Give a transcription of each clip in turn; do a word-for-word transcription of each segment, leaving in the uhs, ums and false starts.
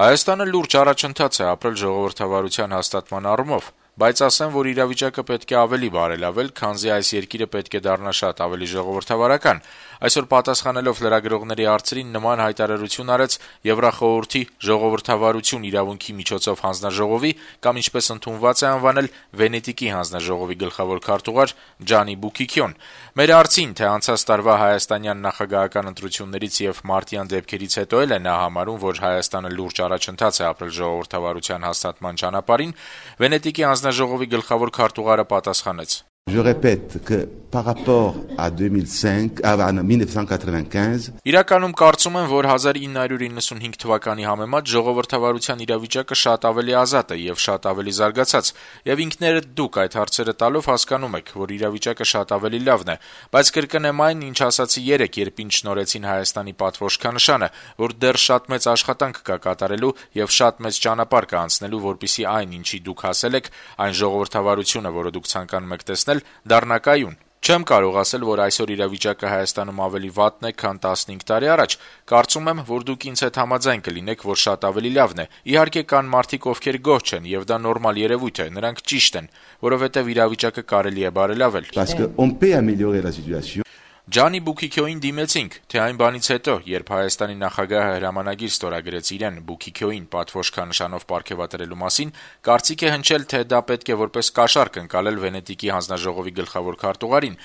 Հայաստանը լուրջ առաջընթաց է ապրել ժողովրդավարության հաստատման առումով, բայց ասեմ, որ իրավիճակը պետք է ավելի բարելավել, քանզի այս երկիրը պետք է դառնա շատ ավելի ժողովրդավարական։ Այսօր պատասխանելով լրագրողների հարցերին նման հայտարարություն արեց Եվրախորհրդի ժողովրդավարություն իրավունքի միջոցով հանձնաժողովի կամ ինչպես ընդունված է անվանել Վենետիկի հանձնաժողովի գլխավոր քարտուղար Ջանի Բուկիկյոն։ Մեր հարցին, թե անցած տարվա հայաստանյան նախագահական ընտրություններից եւ մարտյան դեպքերից հետո էլ է նա համարում, որ Հայաստանը լուրջ առաջընթաց է ապրել ժողովրդավարության հաստատման ճանապարհին, Վենետիկի հանձնաժողովի գլխավոր քարտուղարը պատասխանեց. Je répète que par rapport à deux mille cinq, à mille neuf cent quatre-vingt-quinze, Իրականում կարծում եմ, որ հազար ինը հարյուր իննսունհինգ թվականի համեմատ ժողովրդավարության իրավիճակը շատ ավելի ազատ է եւ շատ ավելի զարգացած, եւ ինքներդ դուք այդ հարցերը տալով հասկանում եք, որ իրավիճակը շատ ավելի լավն է, բայց կրկնեմ այն, ինչ ասացի երեկ, երբ ինձ շնորհեցին Հայաստանի պատվոշքանշանը, որ դեռ շատ մեծ աշխատանք կա կատարելու եւ շատ մեծ ճանապարհ կա անցնելու, որպեսզի այն, ինչի դուք հասել եք, այն ժողովրդավարությունը, որը դուք ցանկանում եք տեսնել, դառնա կայուն։ Չեմ կարող ասել, որ այսօր իրավիճակը Հայաստանում ավելի վատն է, քան տասնհինգ տարի առաջ։ Կարծում եմ, որ դուք ինձ հետ համաձայն կլինեք, որ շատ ավելի լավն է։ Իհարկե կան մարդիկ, ովքեր գոհ չեն, եւ դա նորմալ երևույթ է, նրանք ճիշտ են, որովհետեւ իրավիճակը կարելի է բարելավել։ parce qu'on peut améliorer la situation. Ջանի Բուկիկյոին դիմեցինք, թե այն բանից հետո, երբ Հայաստանի նախագահը հրամանագիր ստորագրեց իրեն Բուկիկյոին պատվոշքանշանով պարգևատրելու մասին, կարծիք է հնչել, թե դա պետք է որպես կաշառք ընկալել Վենետիկի հանձնաժողովի գլխավոր քարտուղարին։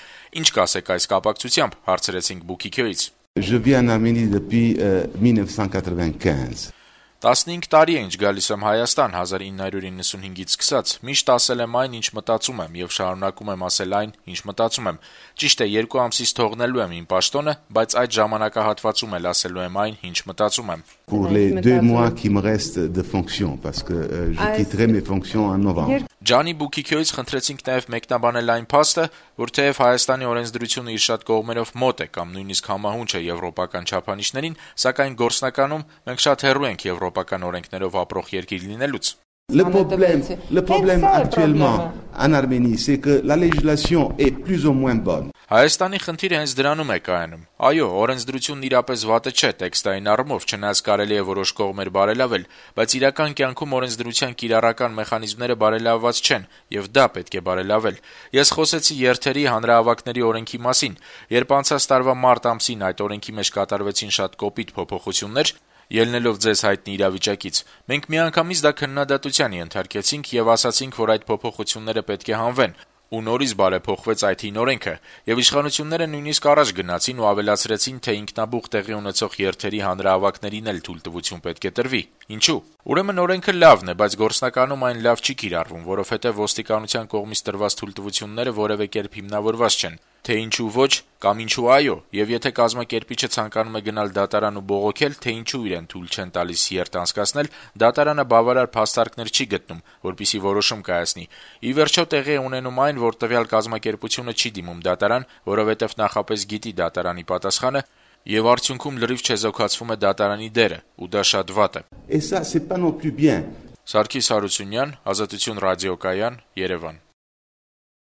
Ինչ կասեք այս կապակցությամբ, հարցրեցինք Բուկիկյոից։ Je vis en Arménie depuis euh, mille neuf cent quatre-vingt-quinze. տասնհինգ տարի է ինչ գալիս եմ Հայաստան հազար ինը հարյուր իննսունհինգից սկսած, միշտ ասել եմ այն, ինչ մտածում եմ եւ շարունակում եմ ասել այն, ինչ մտածում եմ։ Ճիշտ է, երկու ամսից թողնելու եմ իմ պաշտոնը, բայց այդ ժամանակահատվածում էլ ասելու եմ այն, ինչ մտածում եմ։ Pour les deux mois qui me restent de fonction, parce que euh, je quitterai mes fonctions en novembre. Ջանի Բուկիկյոից խնդրեցինք նաեւ մեկնաբանել այն փաստը, որ թեև Հայաստանի օրենսդրությունը իր շատ կողմերով մոտ է կամ նույնիսկ համահունչ է եվրոպական չափանիշներին, սակայն գործնականում մենք շատ հեռու ենք եվրոպական օրենքներով ապրող երկիր լինելուց։ Le problème, le problème actuellement en Arménie, c'est que la législation est plus ou moins bonne. Հայաստանի խնդիրը հենց դրանում է կայանում։ Այո, օրենսդրությունն իրապես վատը չէ տեքստային առումով, չնայած կարելի է որոշ կողմեր բարելավել, բայց իրական կյանքում օրենսդրության կիրառական մեխանիզմները բարելավված չեն, եւ դա պետք է բարելավել։ Ես խոսեցի երթերի հանրահավաքների օրենքի մասին, երբ անցած տարվա մարտ ամսին այդ օրենքի մեջ կատարվեցին շատ կոպիտ փոփոխություններ, ելնելով ձեզ հայտնի իրավիճակից, մենք միանգամից դա քննադատության ենթարկեցինք եւ ասացինք, որ այդ փոփոխությունները պետք է հանվեն, ու նորից բարեփոխվեց այդ հին օրենքը, եւ իշխանությունները նույնիսկ առաջ գնացին ու ավելացրեցին, թե ինքնաբուխ տեղի ունեցող երթերի հանրահավաքներին էլ թույլտվություն պետք է տրվի։ Ինչու՞։ Ուրեմն օրենքը լավն է, բայց գործնականում այն լավ չի կիրառվում, որովհետեւ ոստիկանության կողմից տրված թույլտվությունները որևէ կերպ հիմնավորված չեն։ Թե ինչու ոչ կամ ինչու այո, եւ եթե կազմակերպիչը ցանկանում է գնալ դատարան ու բողոքել, թե ինչու իրեն թույլ չեն տալիս երթ անցկացնել, դատարանը բավարար փաստարկներ չի գտնում, որպեսզի որոշում կայացնի։ Ի վերջո տեղի է ունենում այն, որ տվյալ կազմակերպությունը չի դիմում դատարան, որովհետեւ նախապես գիտի դատարանի պատասխանը, եւ արդյունքում լրիվ չեզոքացվում է դատարանի դերը, ու դա շատ վատ է։ Et ça c'est pas non plus bien. Սարգիս Հարությունյան, Ազատություն ռադիոկայան, Երևան։